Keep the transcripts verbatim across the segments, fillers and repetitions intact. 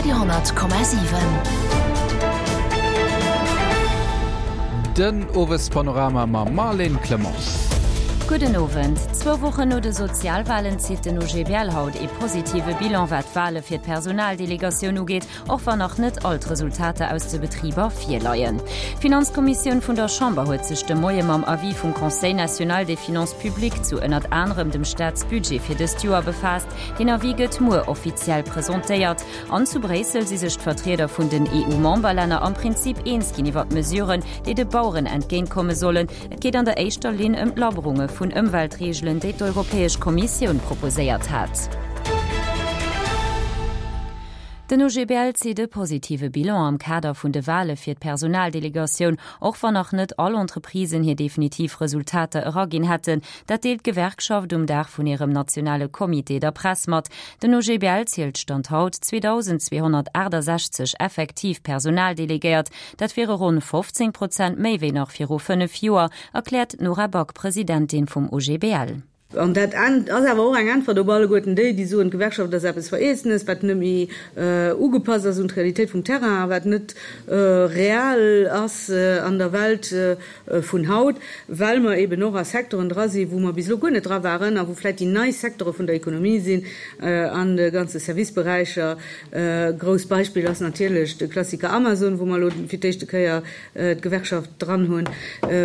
Radio honnert Komma siwen. Den Owespanorama mam Marlène Clement. Gudden Owend. Zwou Wochen no de Sozialwalen zitt den O G B L haut ee positive Bilan wat d'Wale fir d'Personaldelegatioun ugeet, och wann nach net all d'Resultater aus de Betriber virleien. D'Finanzkommissioun vun der Chamber huet sech de Moie mam Avis vum Conseil national des finances publiques zu ënnert anerem dem Staatsbudget fir dëst Joer befaasst. Den Avis gëtt muer offiziell presentéiert. An zu Bréissel si sech d'Vertrieder vun den E U-Memberlänner am Prinzip eens ginn iwwer d'Mesuren, déi de Baueren entgéintkomme sollen. Et geet an der éischter Linn ëm d'Lackerunge vun Ëmweltreegelen, déi d'Europäesch Kommissioun proposéiert hat. Den O G B L zitt e positive Bilan am Kader vun de Wale fir d'Personaldelegatioun, och wann nach net all Entreprisen hir definitiv Resultater eraginn hätten. Dat deelt d'Gewerkschaft um Dag vun hirem nationale Comité der Press mat. Den O G B L zielt Stand haut zweedausendzweehonnertaachtasechzeg effektiv Personaldelegéiert. Dat wiere ronn fofzéng Prozent méi wéi nach viru fënnef Joer, erkläert d'Nora Back, Presidentin vum O G B L. An dat ass awer och eng Äntwert op alleguerten déi, déi soen, d'Gewerkschaft ass eppes Vereelzenes, wat net méi ugepasst ass un d'Realitéit vum Terrain, wat net real ass an der Welt vun haut, well mer eben och a Secteuren dra sinn, wou mer bis elo guer net dra waren a wou vläicht déi nei Secteure vun der Ekonomie sinn, an de ganze Serviceberäicher. Grousst Beispill ass natierlech de Klassiker Amazon, wou mer elo fir d'éischte Kéier d'Gewerkschaft dran hunn.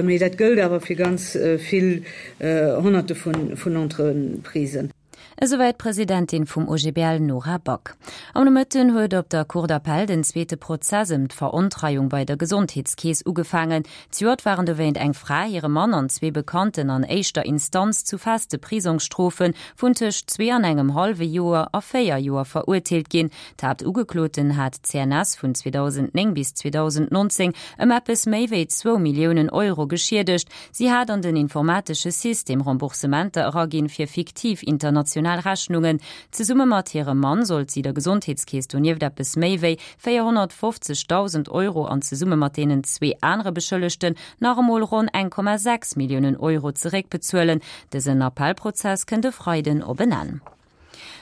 Mee dat gëllt awer fir ganz vill Honnerte vun vun Entreprisen. Esouwäit d'Presidentin vum O G B L Nora Back. Am Nomëtten huet op der Cour d'appel den zweete Prozess ëm d'Verontreiung bei der Gesondheetskeess ugefaangen. Zejoert waren dowéint eng Fra, hire Mann an zwee Bekannten an éischter Instanz zu feste Prisongsstrofe vun tëscht zwee an engem hallwe Joer a véier Joer verurteelt ginn. D'Haaptugekloten hat d'C N S vun zweedausendnéng bis zweedausendnonzéng ëm eppes méi wéi zwou Milliounen Euro geschiedegt. Si hat an den informatesche System Remboursementer eraginn fir fiktiv international Rechnungen. Zesumme mat hirem Mann sollt si der Gesondheetskeess donieft eppes méi wéi véierhonnertfofzegdausend Euro an zesumme mat deenen zwee anere Beschëllegten nach emol ronn eng Komma sechs Milliounen Euro zeréckbezuelen. Dësen Appellprozess kënnt e Freiden op en Enn.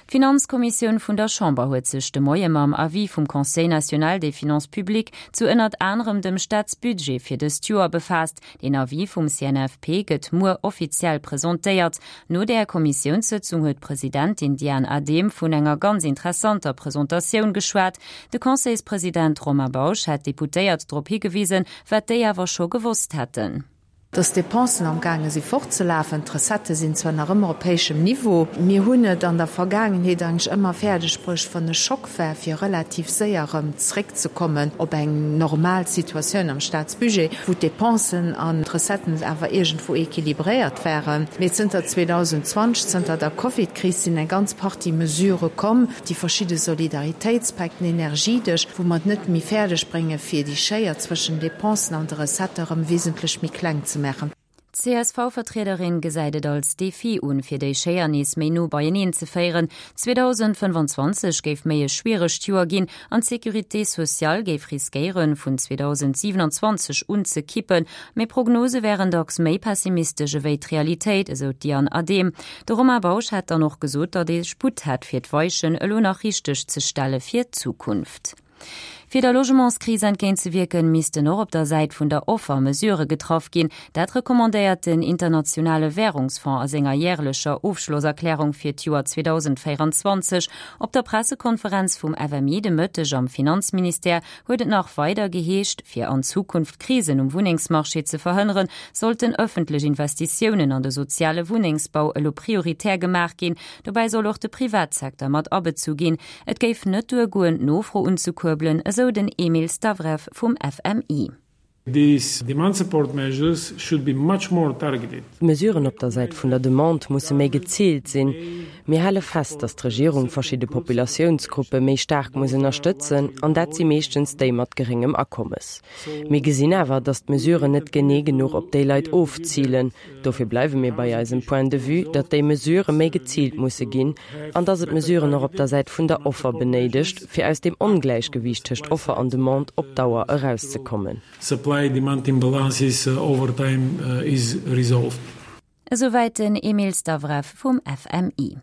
D'Finanzkommissioun vun der Chamber huet sech de Moie mam Avis vum Conseil national des finances publiques zu ënnert anerem dem Staatsbudget fir dëst Joer befaasst. Den Avis vum C N F P gëtt muer offiziell presentéiert. No der Kommissiounssëtzung huet d'Presidentin Diane Adehm vun enger ganz interessanter Presentatioun geschwat. De Conseilspresident Romain Bausch hat d'Deputéiert drop higewisen, wat déi awer scho gewosst hätten. Dass d'Depensen am gaange si fortzelafen, d'Recettë sinn zwar nach ëmmer op héijem Niveau. Mir hunn et an der Vergaangenheet eigentlech ëmmer fäerdeg bruecht, wann e Schock war, fir relativ séier erëm zréckzekommen op eng normal Situatioun am Staatsbudget, wou d'Depensen an d'Recetten awer iergendwou equilibréiert waren. Mee zënter zweedausendzwanzeg, zënter der Covid-Kris sinn eng ganz Partie Mesurë komm, déi verschidde Solidaritéitspäck, den Energiedësch, wou mer et net méi fäerdeg bréngen, fir déi Schéier zwëschen Depensen an de Recettë erëm wesentlech méi kleng ze maachen. D'C S V-Vertriederin gesäit et als Defi un, fir déi Schéier nees méi no beieneen ze féieren. zweedausendfënnefanzwanzeg géif méi e schwieregt Joer ginn an d'Sécurité sociale géif riskéieren, vun zweedausendsiewenanzwanzeg un ze kippen. Mee Prognose wären dacks méi pessimistesch ewéi d'Realitéit, esou d'Diane Adehm. De Romain Bausch hat dann och gesot, datt ee Sputt hätt fir d'Weichen elo nach richteg ze stelle fir d'Zukunft. Fir der Logementskris entgéintzewierken, missten och op der Säit vun der Offer Mesurë getraff ginn. Dat recommandéiert den internationale Wärungsfonds a senger järlecher Ofschlosserklärung fir d'Joer zweedausendvéieranzwanzeg. Op der Pressekonferenz vum F M I de Mëtteg am Finanzministère huet et nach weider geheescht, fir an Zukunft Krisen um Wunnengsmarché ze verhënneren, sollten ëffentlech Investitiounen an de soziale Wunnengsbau elo prioritär gemaach ginn. Dobäi soll och de Privatsecteur mat abezu ginn. Et géif net duergoen, d'Nofro unzekuerbelen, esou den Emil Stavrev vum F M I. These demand support measures should be much more targeted. D'Mesuren op der Säit vun der Demande musse méi geziilt sinn. Mir hale fest, datt d'Regierung verschidde Populatiounsgruppe méi staark muss ënnerstëtzen, an dat si meeschtens déi mat geréngem Akommes. Mir gesinn awer, datt d'Mesuren net genee genuch op déi Leit ofzilen. Dofir bleiwe mir bei eisem Point de vue, datt déi Mesurë méi geziilt musse ginn, an datt et Mesuren och op der Säit vun der Offer benéidegt, fir aus dem Ongläichgewiicht tëscht Offer an Demande op Dauer erauszekommen. Supply demand imbalances over time is resolved. Esouwäit den Emil Stavrev vum F M I.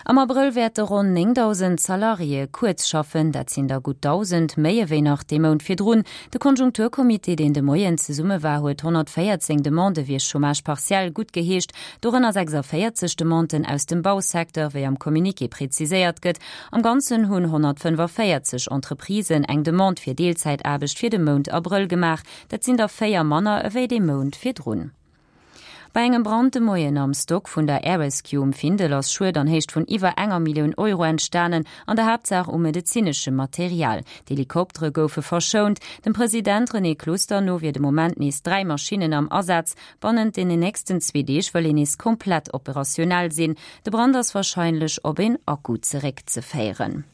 Am Abrëll wäerte ronn néngdausend Salariéë kuerz schaffen, dat sinn der gutt dausend méi ewéi nach dee Mount virdrun. De Konjunkturcomité, deen de Moien zesumme war, huet honnertvéierzéng Demandë fir Chômage partiel guttgeheescht, dorënner sechsavéierzeg Demanden aus dem Bausecteur, wéi am Communiqué präziséiert gëtt. Am Ganzen hunn honnertfënnefavéierzeg Entreprisen eng Demande fir Deelzäitaarbecht fir de Mount Abrëll gemaach, dat sinn der véier manner ewéi de Mount virdrun. Bei engem Brand de Moien am Stock vun der Air Rescue um Findel ass Schued an Héicht vun iwwer enger Millioun Euro entstanen, an der Haaptsaach u medezineschem Material. D'Helikoptere goufe verschount. Dem President René Closter no wier de Moment nees dräi Maschinnen am Asaz. Bannent den nächsten zwee Deeg wëll een nees komplett operationell sinn. De Brand ass warscheinlech op een Akku zeréckzeféieren.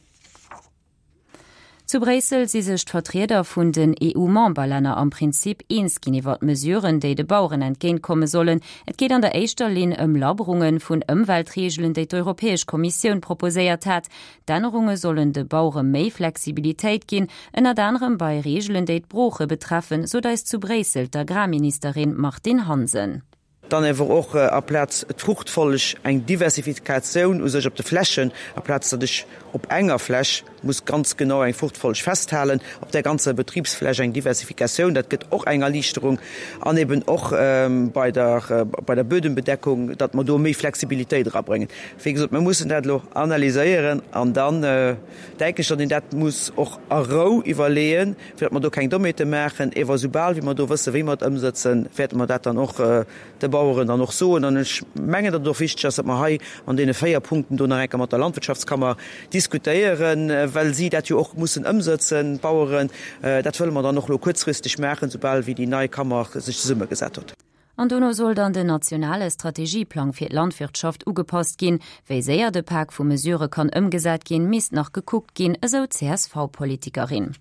Zu Bréissel si sech d'Vertrieder vun den E U-Memberlänner am Prinzip eens ginn iwwer Mesuren, déi de Baueren entgéintkomme sollen. Et geet an der éischter Linn ëm Lackerunge vun Ëmweltreegelen, déi d'Europäesch Kommissioun proposéiert hat. D'Ännerunge sollen de Bauere méi Flexibilitéit ginn, ënnert anerem bei Reegelen, déi d'Brooche betreffen, sot eis zu Bréissel d'Agrarministerin Martine Hansen. Dann awer och aplaz d'Fruchtfolleg eng Diversifikatioun u sech op de Flächen, aplaz datt ech op enger Fläch muss ganz genau eng Fruchtfolleg festhalen, op der ganzer Betribsfläch eng Diversifikatioun, dat gëtt och eng Erliichterung an eben och ähm, bei der, äh, bei der Bödenbedeckung, datt mer do méi Flexibilitéit erabréngen. Wéi gesot, mir mussen dat lo analyséieren an dann äh, denken ech, datt een dat muss och a Rou iwwerleeën, fir datt mer do keng Dommheete maachen, awer soubal wéi mer do wësse wéi mer et ëmsetzen, wäerte mer dat dann och äh, de Baueren dann och soen. An ech mengen, datt et och wichteg ass, datt mer hei an deene véier Punkten do nach eng Kéier mat der Landwirtschaftskammer diskutéieren, äh, well si dat jo och mussen ëmsetzen, d'Baueren. Äh, dat wëlle mer dann och lo kuerzfristeg maachen, soubal wéi déi nei Kammer sech zesummegesat huet. An dono soll dann den nationale Strategieplang fir d'Landwirtschaft ugepasst ginn. Wéi séier de Pak vu Mesurë kann ëmgesat ginn, misst nach gekuckt ginn, esou d'C S V-Politikerin.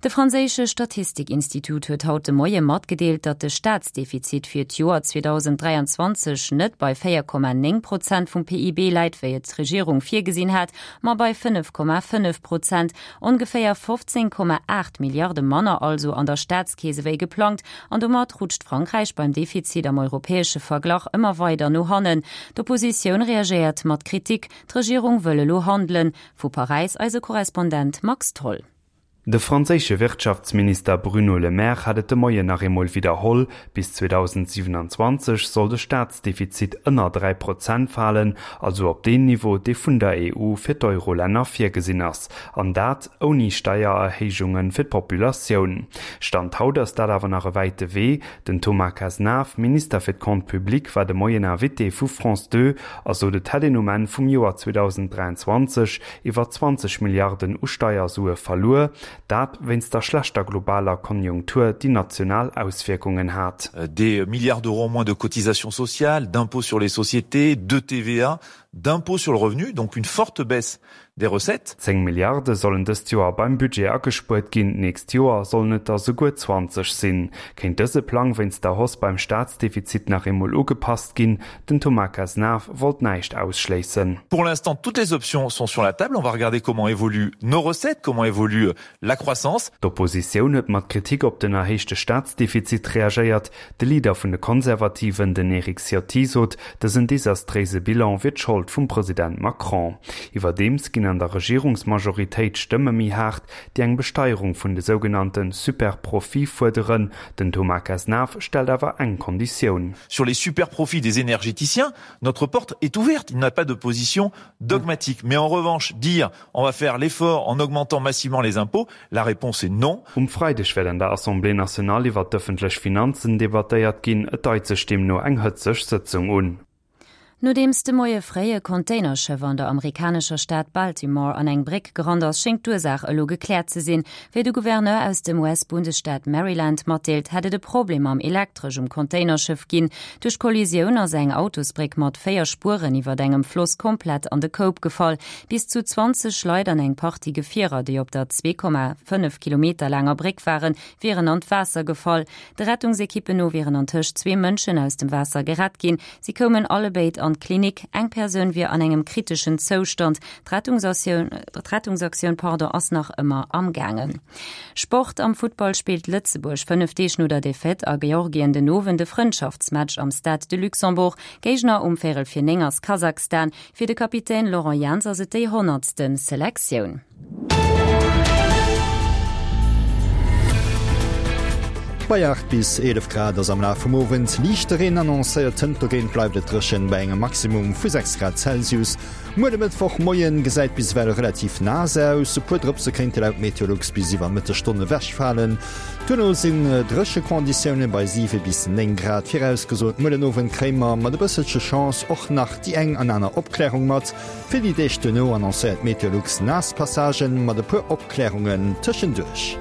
De franséische Statistikinstitut huet haut de Moie matgedeelt, datt de Staatsdefizit fir d'Joer zweedausend dräianzwanzeg net bei véier Komma néng Prozent vum P I B läit, wéi et d'Regierung virgesinn hat, ma bei fënnef Komma fënnef Prozent, ongeféier fofzéng Komma aacht Milliarde manner also an der Staatskeess wéi geplangt, an domat rutscht Frankräich beim Defizit am europäesche Verglach ëmmer weider no hannen. D'Oppositioun reagéiert mat Kritik, d'Regierung wëll elo handelen. Vu Paräis eise Korrespondent Max Tholl. De franséische Wirtschaftsminister Bruno Le Maire hat et de Moien nach eemol widderholl, bis zweedausendsiewenanzwanzeg soll de Staatsdefizit ënner dräi Prozent falen, also op den Niveau, dee vun der E U fir d'Eurolänner virgesinn ass, an dat ouni Steiererhéijunge fir d'Populatioun. Stand haut ass dat awer nach e wäite Wee. Den Thomas Cazenave, Minister fir d'Comptes publics, war de Moien Invité vu France zwou a sot, et hätt een um Enn vum Joer zweedausenddräianzwanzeg iwwer zwanzeg Milliarden u Steiersue verluer, dat wéinst der schlechter globaler Konjunktur, déi national Auswierkungen hat. Des milliards d'euros en moins de cotisations sociales, d'impôts sur les sociétés, de T V A, d'impôts sur le revenu, donc une forte baisse des recettes. zéng Milliarde sollen dëst Joer beim Budget agespuert ginn, d'nächst Joer sollen et der souguer zwanzeg sinn. Kéint dëse Plang wéinst der Hausse beim Staatsdefizit nach eemol ugepasst ginn, den Thomas Cazenave wollt näischt ausschléissen. Pour l'instant, toutes les options sont sur la table. On va regarder comment évoluent nos recettes, comment évolue la croissance. D'Oppositioun huet mat Kritik op den erhéichte Staatsdefizit reagéiert. De Leader vun de Konservativen, den Eric Ciotti, sot, dësen desastréise Bilan wier d'Schold vum President Macron. Iwwerdeems ginn an der Regierungsmajoritéit Stëmme méi haart, déi eng Besteierung vun de sougenannte Superprofite fuerderen. Den Thomas Cazenave stellt awer eng Konditioun. Sur les superprofits des énergéticiens, notre porte est ouverte. Il n'y a pas de position dogmatique. Mais en revanche, dire on va faire l'effort en augmentant massivement les impôts, la réponse est non. Um Freideg wäert an der Assemblée nationale iwwer d'ëffentlech Finanzen debattéiert ginn, et deit sech deemno eng hëtzeg Sëtzung un. Nodeems de Moie fréi e Containerschëff an der amerikanescher Stad Baltimore an eng Bréck gerannt ass, schéngt d'Ursaach elo gekläert ze sinn. Wéi de Gouverneur aus dem U S-Bundesstaat Maryland matdeelt, hätt et e Problem mam elektreschem Containerschëff ginn. Duerch Kollisioun ass eng Autosbréck mat véier Spueren iwwer engem Floss komplett an de Koup gefall. Bis zu zwanzeg Leit an eng Partie Gefierer, déi op der zwee Komma fënnef Kilometer laanger Bréck waren, wieren an d'Waasser gefall. De Rettungsekippen no wieren antëscht zwee Mënschen aus dem Waasser gerett ginn. Si koumen allebéid an an d'Klinik. Eng Persoun wier an engem kriteschen Zoustand. D'Rettungsaktioun pardon ass nach ëmmer am gaangen. Sport, Am Futtball spillt Lëtzebuerg fënnef Deeg no der Defaite a Georgien den Owend e Frëndschaftsmatch am Stade de Luxembourg. Géigner um Véierel vir néng ass Kasachstan. Fir de Kapitän Laurent Jans ass et déi honnertsten Selektioun. Bei aacht bis eelef Grad ass am Laf vum Owend liichte Reen annoncéiert, hënt dogéint bleift et dréchen bei engem Maximum vu sechs Grad Celsius. Muer de Mëttwochmoien gesäit bis ewell relativ naass aus, e puer Drëpse kéinte laut Meteolux bis iwwer Mëttesstonn ewechfalen. Duerno sinn dréche Konditioune bei siwe bis néng Grad virausgesot. Muer den Owend kréie mer mat e bësselche Chance och nach déi eng an aner Opklärung mat. Fir déi Deeg duerno annoncéiert Meteolux naass Passagen mat e puer Opklärungen tëschenduerch.